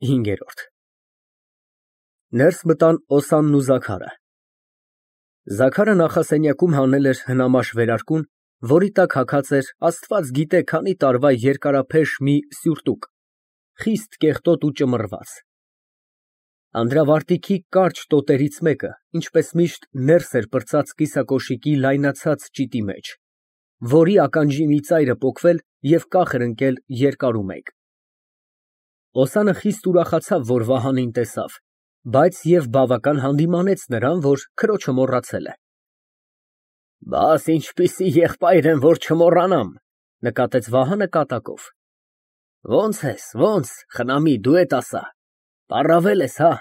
5։ Ներս մտան Օսանն ու Զաքարը։ Զաքարը նախասենյակում հանել էր հնամաշ վերարկուն, որի տակ հագած էր Աստված գիտե քանի տարվա երկարափեշ մի սյուրտուկ, խիստ կեղտոտ ու ճմռված։ Անդրավարտիքի կարճ տոտերից մեկը, ինչպես միշտ, ներս էր պրծած կիսակոշիկի լայնացած ճիտի մեջ, որի ականջի մի ծայրը պոկվել և կախ էր ընկել երկարու մեկ։ Օսանը խիստ ուրախացավ, որ Վահանին տեսավ, բայց և բավական հանդիմանեց նրան, որ քրոջը մոռացել է։ Բաս ինչպիսի եղբայր եմ, որ չմոռանամ, նկատեց Վահանը կատակով։ Ո՞նց ես, ո՞նց, խնամի, դու էդ ասա, պառավել ես, հա։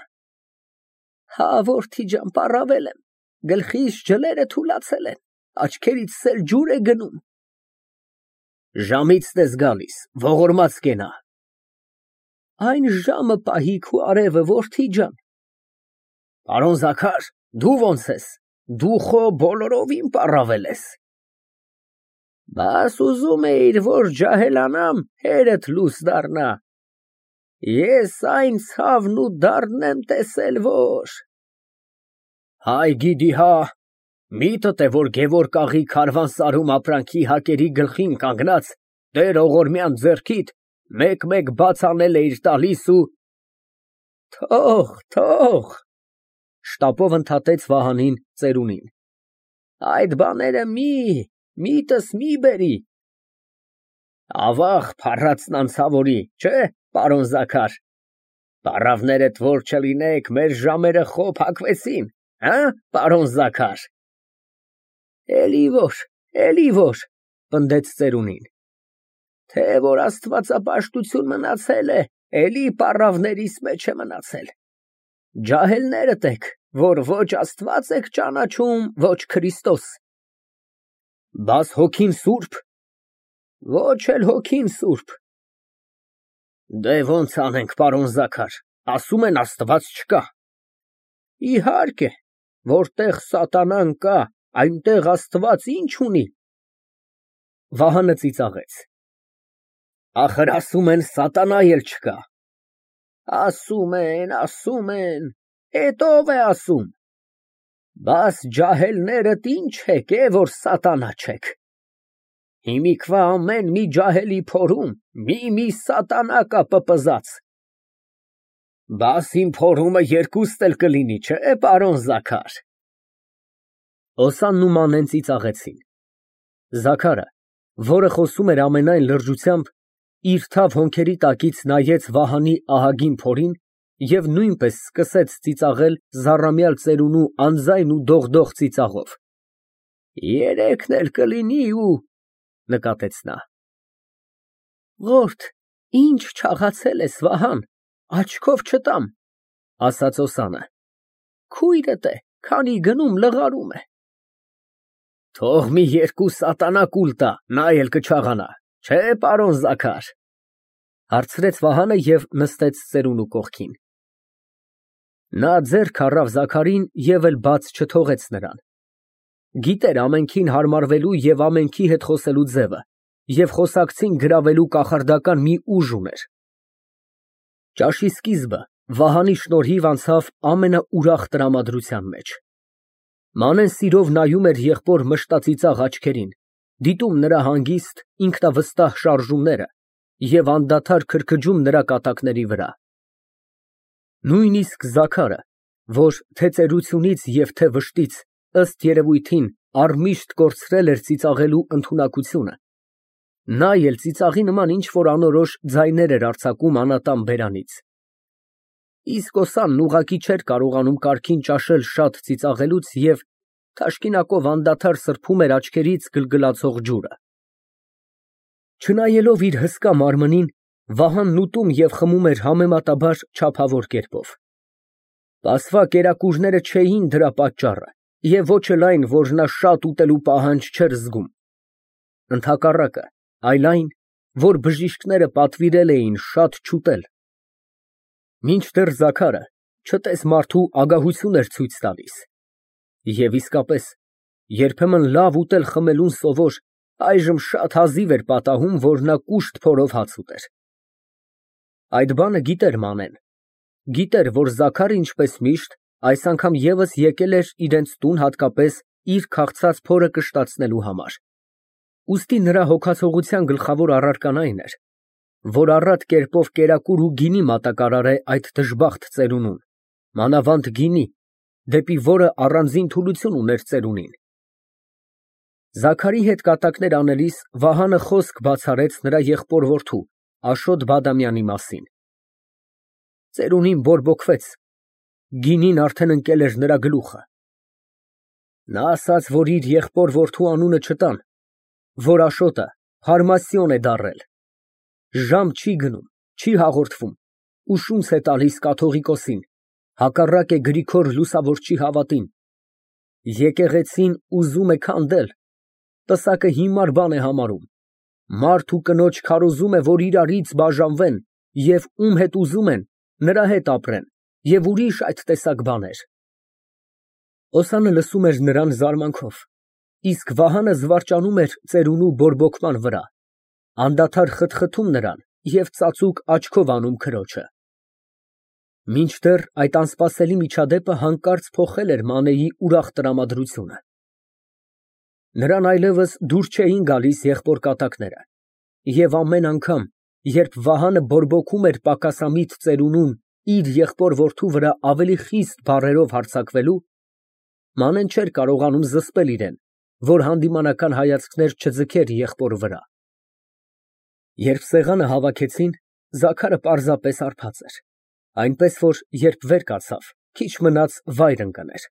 Հա, որդի ջան, պառավել եմ, գլխիս ջլերը թուլացել են, աչքերիցս էլ ջուր է գնում։ Ժամիցն ես գալիս, ողորմած կենա։ Այն ժամը պահի քու արևը, որդի ջան։ Պարոն Զաքար, դու ո՞նց ես, դու խո բոլորովին պառավել ես։ Բաս ուզում էիր, որ ջահելանամ, հերդ լույս դառնա։ Ես այն ցավն ու դառն եմ տեսել, որ… Հայ գիտի հա, միտդ է, որ Գևորգ աղայի քարավանսարում ապրանքի հակերի գլխին կանգնած, Տեր Ողորմյան ձեռքիդ մեկ-մեկ բաց անել էիր տալիս ու… Թող, շտապով ընդհատեց Վահանին ծերունին։ Այդ բաները միտս մի բերի։ Ավաղ փառածն անցավորի, չէ, պարոն Զաքար, պառավներդ որ չլինեք, մեր ժամերը խո փակվեցին, հա, պարոն Զաքար։ Էլի որ, պնդեց ծերունին։ Թե որ աստվածապաշտություն մնացել է, էլի պառավներիս մեջ է մնացել։ Ջահելներդ եք, որ ոչ Աստված եք ճանաչում, ոչ Քրիստոս։ Բաս հոգին սուրբ։ Ոչ էլ հոգին սուրբ։ Դե ոնց անենք, պարոն Զաքար, ասում են Աստված չկա։ Իհարկե, որտեղ սատանան կա, այնտեղ Աստված ինչ ունի։ Վահանը ծիծաղեց։ Ախր ասում են սատանա էլ չկա։ Ասում են, էդ ով է ասում։ Բաս ջահելներդ ինչ եք, որ սատանա չեք։ Հիմիկվա ամեն մի ջահելի փորում մի սատանա կա պպզած։ Բաս իմ փորումը երկուստ էլ կլինի, չէ, պարոն Զաքար։ Օսանն ու Մանեն ծիծաղեցին։ Զաքարը, որը խոսում էր ամենայն լրջությամբ, իր թավ հոնքերի տակից նայեց Վահանի ահագին փորին և նույնպես սկսեց ծիծաղել զառամյալ ծերունու անձայն ու դողդող ծիծաղով։ Երեքն էլ կլինի ու… նկատեց նա։ Ղորդ, ինչ չաղացել ես, Վահան, աչքով չտամ, ասաց Օսանը։ Քույրդ է, քանի գնում լղարում է։ Թող մի երկու սատանա կուլ տա, նա էլ կչաղանա, չէ, պարոն Զաքար, հարցրեց Վահանը և նստեց ծերունու կողքին։ Նա ձեռք առավ Զաքարին և էլ բաց չթողեց նրան։ Գիտեր ամենքին հարմարվելու և ամենքի հետ խոսելու ձևը և խոսակցին գրավելու կախարդական մի ուժ ուներ։ Ճաշի սկիզբը Վահանի շնորհիվ անցավ ամենաուրախ տրամադրության մեջ։ Մանեն սիրով նայում էր եղբոր մշտածիծաղ աչքերին, դիտում նրա հանգիստ, ինքնավստահ շարժումները և անդադար քրքջում նրա կատակների վրա։ Նույնիսկ Զաքարը, որ թե ծերությունից և թե վշտից, ըստ երևույթին, առմիշտ կորցրել էր ծիծաղելու ընդունակությունը, նա էլ ծիծաղի նման ինչ֊որ անորոշ ձայներ էր արձակում անատան բերանից։ Իսկ Օսանն ուղղակի չէր կարողանում կարգին ճաշել շատ ծիծաղելուց և թաշկինակով անդադար սրբում էր աչքերից գլգլացող ջուրը։ Չնայելով իր հսկա մարմնին, Վահանն ուտում և խմում էր համեմատաբար չափավոր կերպով։ Պասվա կերակուրները չէին դրա պատճառը և ոչ էլ այն, որ նա շատ ուտելու պահանջ չէր զգում։ Ընդհակառակը, այլ այն, որ բժիշկները պատվիրել էին շատ չուտել։ Մինչդեռ Զաքարը չտես մարդու ագահություն էր ցույց տալիս։ Եվ իսկապես, երբեմն լավ ուտել֊խմելուն սովոր, այժմ շատ հազիվ էր պատահում, որ նա կուշտ փորով հաց ուտեր։ Այդ բանը գիտեր Մանեն, Գիտեր, որ Զաքարը ինչպես միշտ այս անգամ ևս եկել էր իրենց տուն հատկապես իր քաղցած փորը կշտացնելու համար։ Ուստի նրա հոգացողության գլխավոր առարկան այն էր, որ առատ կերպով կերակուր ու գինի մատակարար է այդ դժբախտ ծերունուն, մանավանդ գինի, դեպի որը առանձին թուլություն ուներ ծերունին։ Զաքարի հետ կատակներ անելիս Վահանը խոսք բացարեց նրա եղբոր որդու Աշոտ Բադամյանի մասին։ Ծերունին բորբոքվեց, գինին արդեն ընկել էր նրա գլուխը։ Նա ասաց, որ իր եղբոր որդու անունը չտան, որ Աշոտը հարմասյոն է դառել, ժամ չի գնում, չի հաղորդվում ու շունչ է տալիս կաթողիկոսին, հակառակ է Գրիգոր Լուսավորչի հավատին։ Եկեղեցին ուզում է քանդել, պսակը հիմար բան է համարում, մարդ ու կնոջ քարոզում է, որ իրարից բաժանվեն և ում հետ ուզում են, նրա հետ ապրեն և ուրիշ այդ տեսակ բաներ։ Օսանը լսում էր նրան զարմանքով, իսկ Վահանը զվարճանում էր ծերունու բորբոքման վրա, անդադար խտխտում նրան և ծածուկ աչքով անում քրոջը։ Մինչդեռ այդ անսպասելի միջադեպը հանկարծ փոխել էր Մանեի ուրախ տրամադրությունը։ Նրան այլևս դուր չէին գալիս եղբոր կատակները, և ամեն անգամ, երբ Վահանը բորբոքում էր պակասամիտ ծերունուն իր եղբոր որդու վրա ավելի խիստ բառերով հարձակվելու, Մանեն չէր կարողանում զսպել իրեն, որ հանդիմանական հայացքներ չձգեր եղբոր վրա։ Երբ սեղանը հավաքեցին, Զաքարը պարզապես հարբած էր, այնպես որ երբ վեր կացավ, քիչ մնաց վայր ընկներ։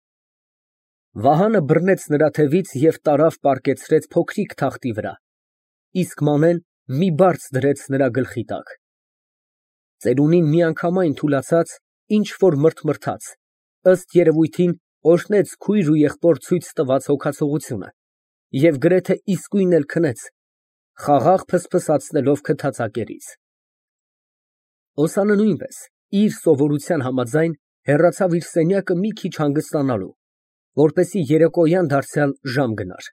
Վահանը բռնեց նրա թևից և տարավ պառկեցրեց փոքրիկ թախտի վրա, իսկ Մանեն մի բարձ դրեց նրա գլխի տակ։ Ծերունին միանգամայն թուլացած, ինչ որ մրթմրթաց, ըստ երևույթին օրհնեց քույր ու եղբոր ցույց տված հոգացողությունը և գրեթե իսկույն էլ քնեց, խաղաղ ֆսֆսացնելով քթածակերից։ Օսանը նույնպես իր սովորության համաձայն հեռացավ իր սենյակը մի քիչ հանգստանալու, որպեսզի երեկոյան դարձյալ ժամ գնար։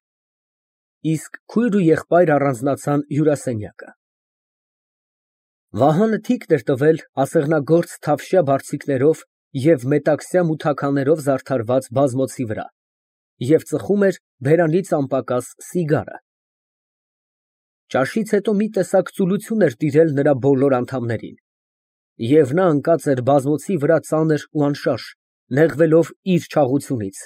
Իսկ քույր ու եղբայր առանձնացան հյուրասենյակը։ Վահանը թիկն էր տվել ասեղնագործ թավշյա բարձիկներով և մետաքսյա մութաքաներով զարդարված բազմոցի վրա և ծխում էր բերանից անպակաս սիգարը։ Ճաշից հետո մի տեսակ ծուլություն էր տիրել նրա բոլոր անդամներին, և նա ընկած էր բազմոցի վրա ծանր ու անշարժ, նեղվելով իր չաղությունից։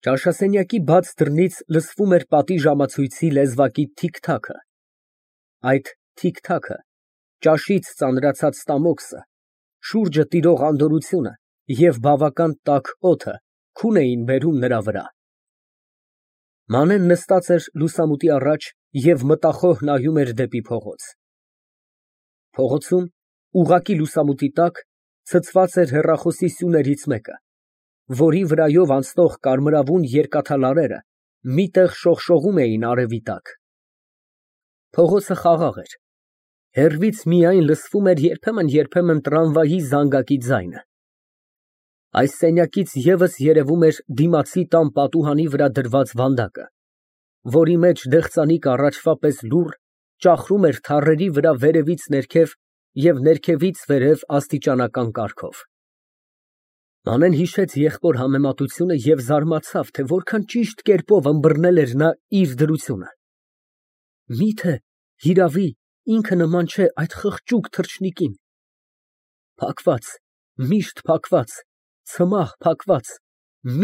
Ճաշասենյակի բաց դռնից լսվում էր պատի ժամացույցի լեզվակի թիք֊թաքը։ Այդ թիք֊թաքը, ճաշից ծանրացած ստամոքսը, շուրջը տիրող անդորրությունը և բավական տաք օդը քուն էին բերում նրա վրա։ Մանեն նստած էր լուսամուտի առաջ և մտախոհ նայում էր դեպի փողոց։ Փողոցում, ուղղակի լուսամուտի տակ, ցցված էր հեռախոսի սյուներից մեկը, որի վրայով անցնող կարմրավուն երկաթալարերը մի տեղ շողշողում էին արևի տակ։ Փողոցը խաղաղ էր, հեռվից միայն լսվում էր երբեմն տրամվայի զանգակի ձայնը։ Այս սենյակից ևս երևում էր դիմացի տան պատուհանի վրա դրված վանդակը, որի մեջ դեղցանիկ առաջվա պես լուռ ճախրում էր թառերի վրա վերևից ներքև և ներքևից վերև աստիճանական կարգով։ Մանեն հիշեց եղբոր համեմատությունը և զարմացավ, թե որքան ճիշտ կերպով ըմբռնել էր նա իր դրությունը։ Միթե հիրավի ինքը նման չէ այդ խղճուկ թռչնիկին։ Փակված, միշտ փակված, ցմահ փակված,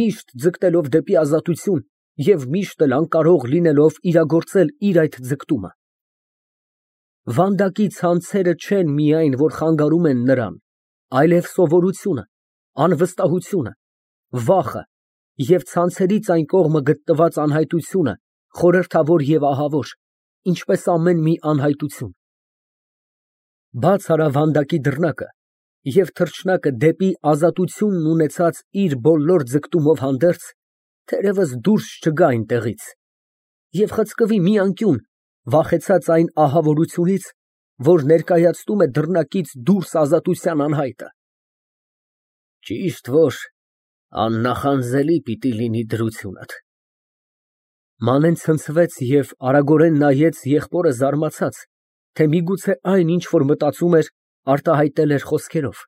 միշտ ձգտելով դեպի ազատություն և միշտ էլ անկարող լինելով իրագործել իր այդ ձգտումը։ Վանդակի ցանցերը չեն միայն, որ խանգարում են նրան, այլև սովորությունը, անվստահությունը, վախը և ցանցերից այն կողմը գտնված անհայտությունը, խորհրդավոր և ահավոր, ինչպես ամեն մի անհայտություն։ Բաց արավ վանդակի դռնակը և թռչնակը դեպի ազատությունն ունեցած իր բոլոր ձգտումով հանդերձ, թերևս դուրս չգա այնտեղից և խցկվի մի անկյուն, վախեցած այն ահավորությունից, որ ներկայացնում է դռնակից դուրս ազատության անհայտը։ Ճիշտ որ աննախանձելի պիտի լինի դրությունդ։ Մանեն ցնցվեց և արագորեն նայեց եղբորը զարմացած, թե միգուցե այն, ինչ որ մտածում էր, արտահայտել էր խոսքերով։